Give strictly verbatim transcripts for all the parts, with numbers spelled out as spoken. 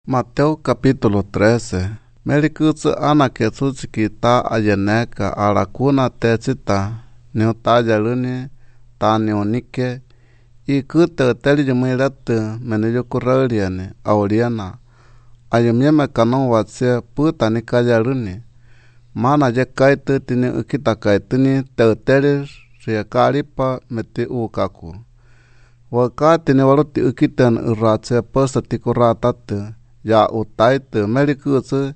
Mateo capítulo trece. Melikutsu ana ketsuchiki ta ayeneka arakuna techita niutayaluni ta nionike ikute teli yumilatu meniyukurauliani auliana ayumieme kanu watsie puta nikayaluni mana yekaitu tini ukitakaituni teuteli riekaripa meti ukaku wakati ni waruti ukitan urratse posta tikuratatu ya utaitu melikutsu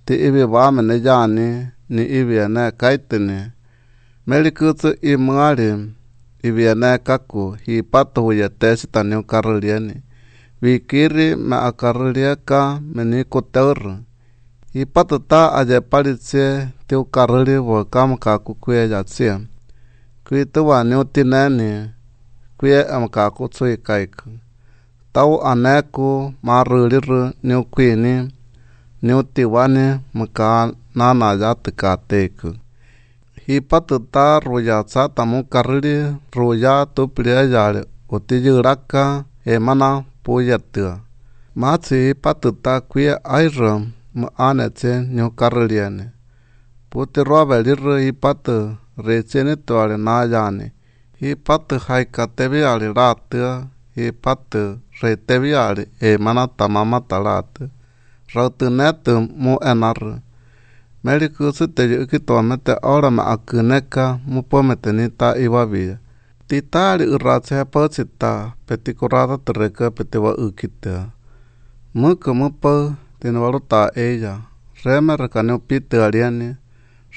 ti ibi wame ne yani ni ibi ene kaituni melikutsu imuari ibi ene kaku hipatu huye tesita ni ukarrulieni vikiri me akarrulieka me ni kuteurru hipatu ta ayeparitsie ti ukarruli wakam kaku kuye yatsie kuituwa ni utineni kuye amkaku tsuikaiku tau aneku marruliru ni ukuini ni utiwani mka nana yatikateku hipatu ta ruyatsa mukarruli ruya tuplia utiyuraka emana puyatua matsi hipatu ta kuye airro muanetse ni ukarruliani puti roabeliru hipatu recheni tuare nayani hipatu haikateviali ratua hipatu reteviali emana tamama talatu rautunetu mu enarru melikutsu te ukituamete ora me akuneka mupomete ni ta iwavia titari urratse pochita petikurata tereka petiwa ukitea muku mupo tiniwaruta ella reme rekaniu pitualiani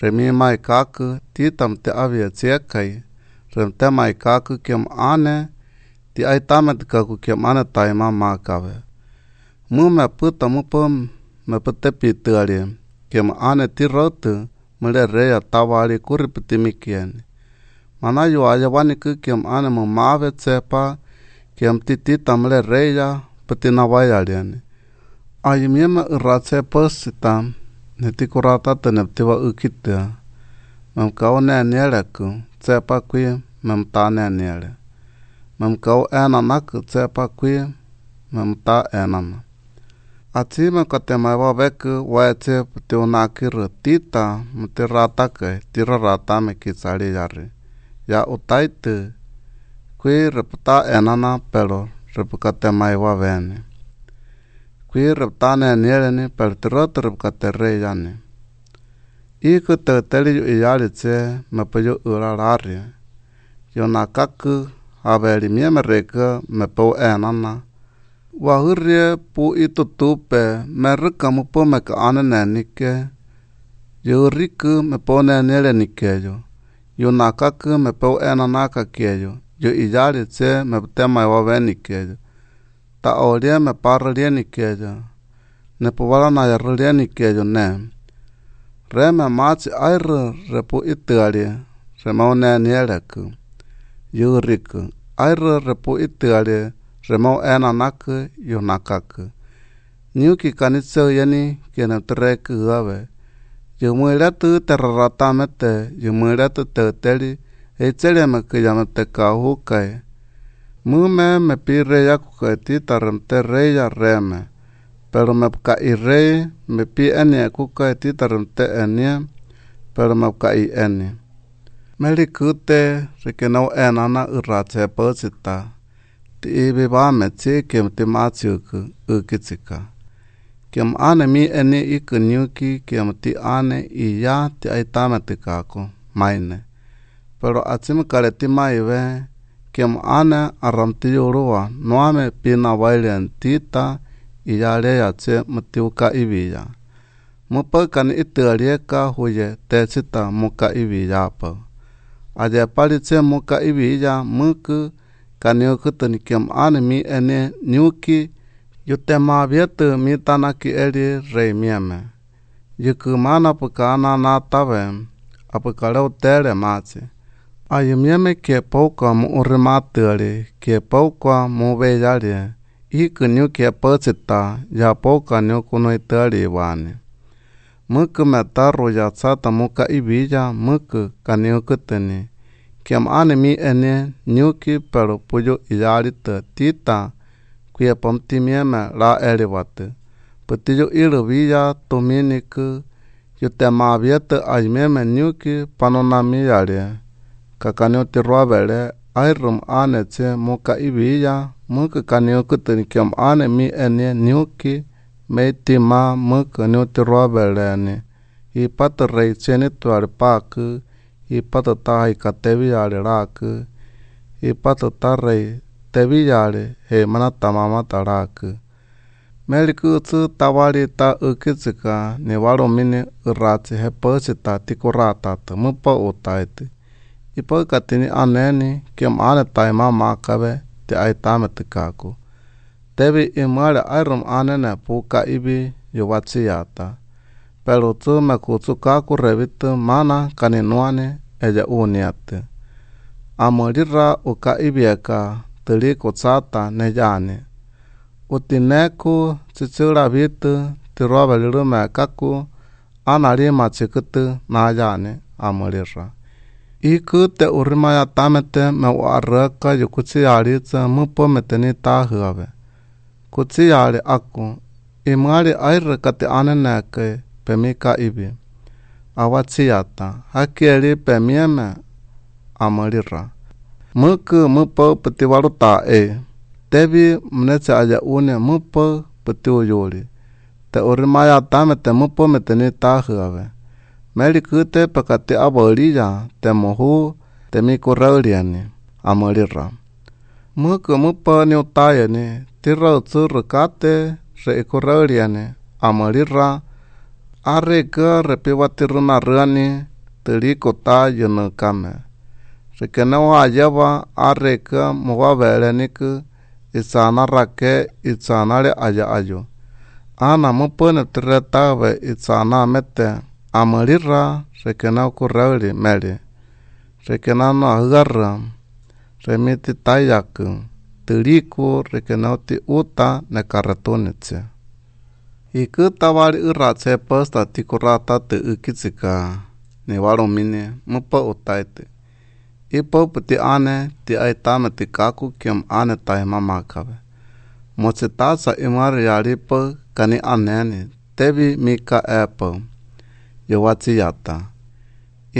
remi maikaku titam te avia tsiekai remte maikaku kiem ane ti aitame tikaku kiem ane taima makawe mume puta mupo me pute pitualie kiem ane ti rotu mule reya tawali kurri pitimikieni mana yuaya waniku kiem ane mumave tsepa kiem titita mule reya putinawayaliani ayimieme urratse posita netikurata teneptiwa ukitea memkau nenieleku tsepa kui memta neniele memkau enanaku tsepa kui memta enana atsime katemaiwa veku waetse putiunakiru tita mutiratake tiraratame kitsali yari ya utaitu kui reputa enana pero repukatemaiwa veni kui repta nenieleni pero tirotu repkaterreyani iku teuteli yu iyalitse mepuyu urarari yonakaku aveli mieme reka mepou enana wahurrie pu itutupe merruka mupo meka ane nenike yurriku mepo neniele nikeyo yonakaku mepou enanaka keyo yu iyalitse meputemaiwa venikeyo ta olie me parrelie nikeyo nepuwala yarrelie nikeyo ne reme matsi airru repu itualie remau nenieleku yurriku airru repu itualie remau enanaku yonakaku niuki kanitseuyeni kienepterrekuawe yumuiletu terraratamete yumuiletu teuteli eitseleme kuyameptekajukai mume me pi reya kukai tita remte reya reme pero me kai rey me pi enie kukai tita remte enie pero me kai enie melikute rekenau enana urratse pochita ti ibi tsi kiem ti matsiuku ukitsika kiem ane mi enie iku niuki kiem ti ane iya ti aitame tikako maine pero atsime kareti maive kiem ane aramti yuruwa noame pina wailen tita iyaleya tse mutiuka ibiya mupakani itualieka huye techita muka ibiyapa ayepali tse muka ibiya muku kaniukutuni kiem ane mi ene niuki yutema vietu mi tanaki eli rei mieme yukumana pukana natawe apukareu tere matsi ayumieme kiepouka mu urrimatuali kiepouka mu veyalie iku niu kiepochita yapouka niu kunuituali wani muku meta ruyatsata muka ibiya muku kaniukutuni kiem ane mi ene niuki pero puyu iyarita tita kuye pomtimieme ra eliwatu. Pati yu irubiya tuminiku yutemaviete aimeme nyuki panonamiyare kakaniuti ruabere airum anetse muka ibiya muka kaniukutini kiam ane mi ene nyuki meitima muka niuti ruabereni ipata reicheni tuarpaku ipata tai kateviyare raku ipata tarrei teviyare heimana tamama taraku Melikutsu tawarita ukitsika niwaromini urratsi hepochita tikurratata mupa utaiti ipokatini aneni kiam ane taima makabe te aitame tikaku tevi imare airom anene puka ibi yuwatsiyata pero tsu mekutsu kaku revitu mana kaninuane ella uniate amorira uka ibieka tiliko tsata neyane utineku tsitsilavitu tiroabelirume kaku anarima chikutu nayane amorira iku te urrimaya tamete me arraka yukutsiaritsa mupo meteni tahuabe kutsiari aku imari airrekate aneneke pemika ibi awatsiata hakieri pemieme amorira muku mupo petiwaruta e tevi mnetse aya une mupo petiuyuri te urrimaya tamete mupo meteni tahuabe melikute pakati aboriya te mohu te mi correuriani amorira muku mupo ni utayani tirra tsurrukate re correuriani amorira arreka repiwatiruna rani tirikota yunukame rekeneo ayaba arreka mowabereniku isana rake isanare aya ayo ana mupo ne tirretabe isana mete amorira rekeneo correuri meri rekenano agarra remiti tayaku tiriku rekeneo ti uta nekarretunitse iku tawari urratse posta tikurrata te ukitsika niwaromini mupo utaiti ipo puti ane ti aitame tikaku kiam ane taima makabe motsitatsa imari yaripo kani aneni tevi mika epo yowatsiyata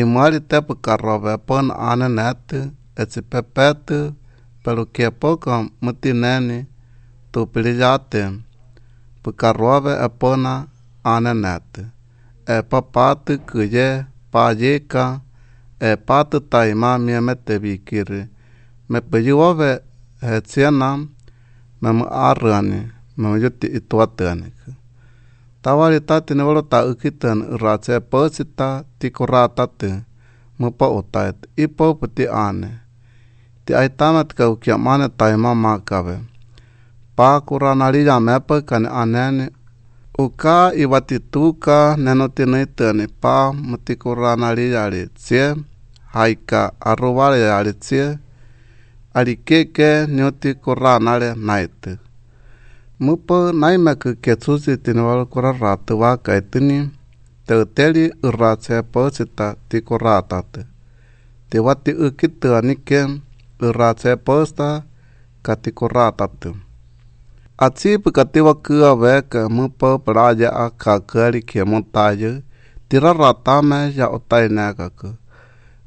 imari tepu karrobe pon ane neti etsipepeti pero kiepoka mutineni tupiriyate pukarrobe epona ane neti epapati kuye payika epati taima miemete vikiri mepeyuobe hetsiena memu arrani memeyuti ituatiani tawarita tiniwaro ukitan urratse potsita tikurratati mupo utaiti ipo puti ane ti aitama tikaukiamane taima makabe pa kurranariya mepa kani aneni uka iwatituka nenotinitani pa mutikurranariyari tsie haika arrobareyari tsie arikeke nioti kurranare naiti mupo naimeku ketsusi tiniwaro kurarratu wakaitini teuteri urratse potsita tikurratati tiwati ukituanike urratse posta katikurratati atsipu katiwa veka mupo praya akakari kiemotayu tirarratame ya otainekaku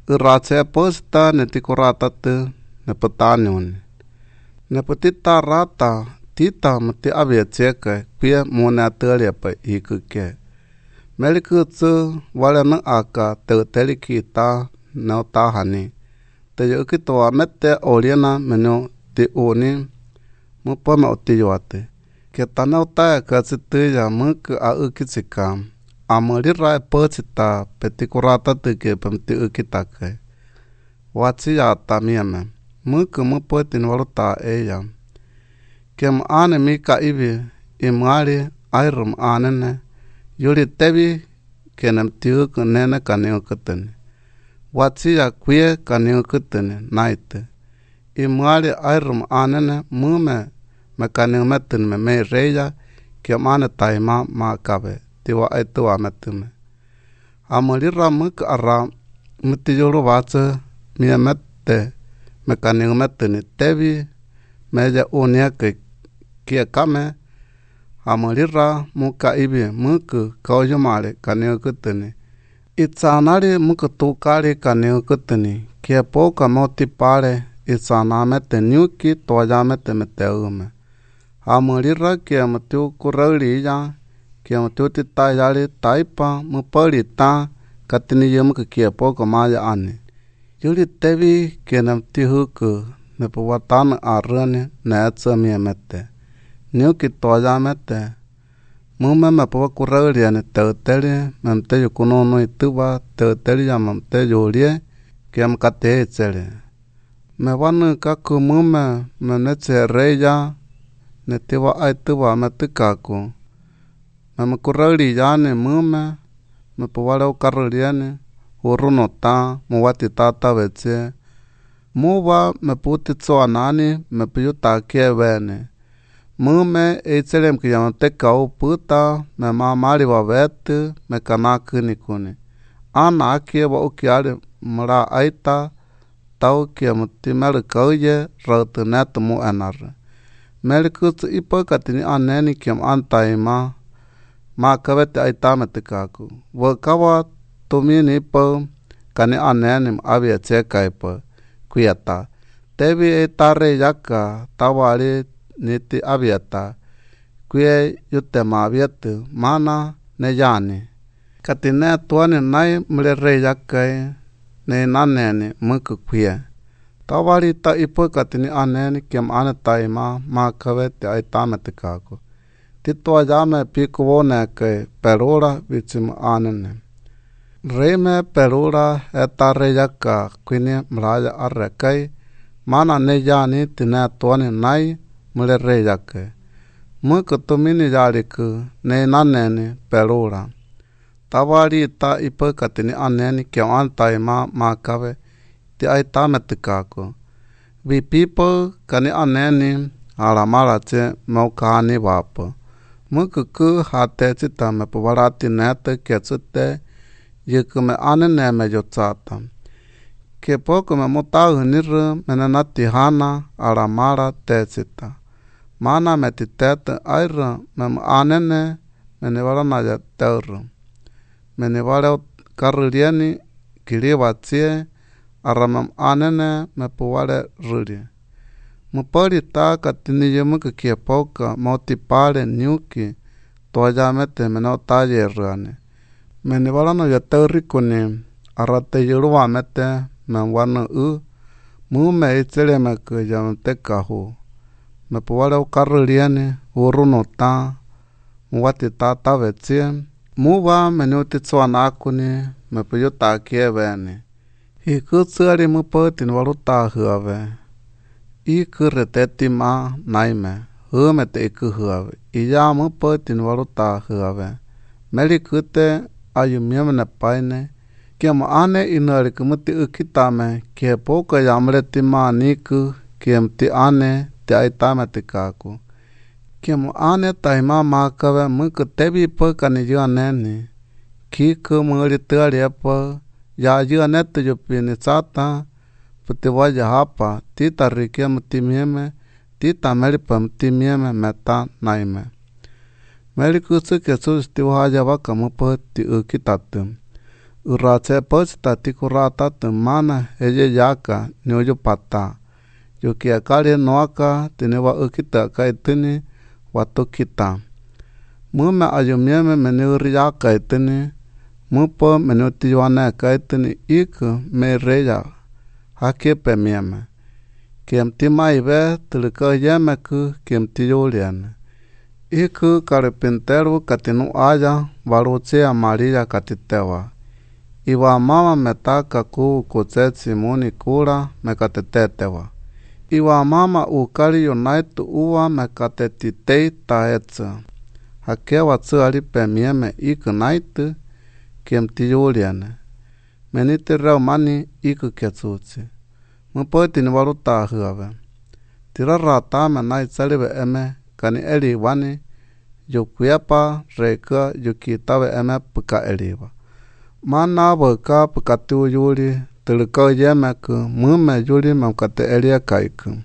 urratse posta netikurratati nepotaniuni nepotita rata tita mati avietseka pie monatariapa ikuke melikutsu walena aka teuterikita neotahani teyukitoa mete oriena meno ti uni mupo me otiyuate ketaneuta katsituya muku a ukitsika amorira epotsita petikurata tike pemti ukitake watsiyata mieme muku mupo tinwaruta eya kem ane mika ibi imari airum anene yuri tevi kenem tiuku nene kaniukutini watsiya kwie kaniukutini naite imari airum anene mume me kaniumetini me mei reya kem ane taima makabe tiwa aitua metume amorira muku arra mutiyuru watsu miemete me kaniumetini tevi meya uniake kiekame Amorira muka ibi muku kaojumare kaniukutuni. Itsanari muku tukari kaniukutuni. Kiepoka motipare itsanamete nyuki toyamete meteume. Amorira kiemutiu kurariya kiemutiu titayari taipa muparita katini kiepoka maya ani. Yuri tevi kienamtihuku nepuwatana arrani netsa miemete. Nyuki toyamete. Mume me puwa kurariani teuteri memte yukunono ituba teuteri yamamte yurie kiamkate etsere. Me vanu kaku mume me reya netiwa aituba metikaku. Me kurariyani mume me puware ukaruriani urunota muwatitata vetsie. Muwa me puti tsoanani me piyutakie vene. Mume eitselem que yamate kau puta me mamari babete me kanakuni kuni. Ana akie wa ukiare mra aita tau kia mutimer kauye rautuneto mu enarre. Merikutsu ipa katini aneni kiam antaima ma kabete aita metikaku. Wakawa tumini ipa kani aneni abia chekaipa kuyata. Tevi eitare yaka tawari niti abieta kuye yutema abietu mana ne yani katine tuani nai mle yakai ne naneni muku kuye tawari ta ipo katini aneni kem ane taima ma kavete aitame tikaku titoa yame piku wone kai perura vitsim anene reme perura etare yaka kuini mraya arrekai mana ne yani tine tuani nai mle yake. Muku tumini yariku ne naneni perura. Tawari ta ipa katini aneni kia antaima makawe ti aitame tikaku. Vipipo kani aneni aramarache maukani wapo. Muku ku hate chita me puwarati nete ketsute yuku me anene me yotsata. Ke poco me motau niru menenati hana aramara techita. Mana me titete aira me anene me nevarana ya teuru. Me nevare karurieni kiribatsie arama anene me puware ruri. Muparita katini yumuka kiepoka motipare nyuki toyamete me no talle ruane. Me nevarana ya teurikuni arate yuruamete me wanu u mume itseleme kuyamte kahu. Me puware ukaruriani urunota muwatita tavetsie muwa menuti tsuanakuni me puyutakie veni. Ikutsuari mupotin waruta huave. Ikurretetima naime humete ikuhuave. Iya mupotin waruta huave. Merikute ayumiamene paine. Kiamo ane inarikumuti ukitame kiepoka yamretima niku kiemti ane te aitame tikaku. Kiamo ane taima makawe muku tebi pa kani yuaneni. Kiku muri tuarepa ya yuanetu yupini tsata putiwaya hapa tita rikia mutimieme tita meripa mutimieme meta naime. Merikutsu Jesús tiwaya waka mupa ti ukitatu. Urache pochita tikurata mana eye yaka nyoyo pata. Yukiakari noaka tinewa ukita kaitini watukita. Mume ayumieme meniuriya kaitini mupo meniutiyuane kaitini iku me reya hakepe mieme. Kiemtimaive tilika yemeku kiemtiyuliane. Iku carpintero katinu aya varuchea Maria katitewa. Iwa mama metaka ku kutse Simoni kura mekatetetewa. Iwa mama ukari yonaitu uwa mekatetitei taetsa. Hakewa tsuari pemieme iku naitu kiemtiyuliane. Meniti reumani iku ketsutsi. Mupotini waruta huave. Tirarratame naitsarive eme kani eliwani yukuepa reka yukitawe eme puka eliwa. Mana waka pukatu yuri tulka yemeku mume yuri mamkate elia kaiku.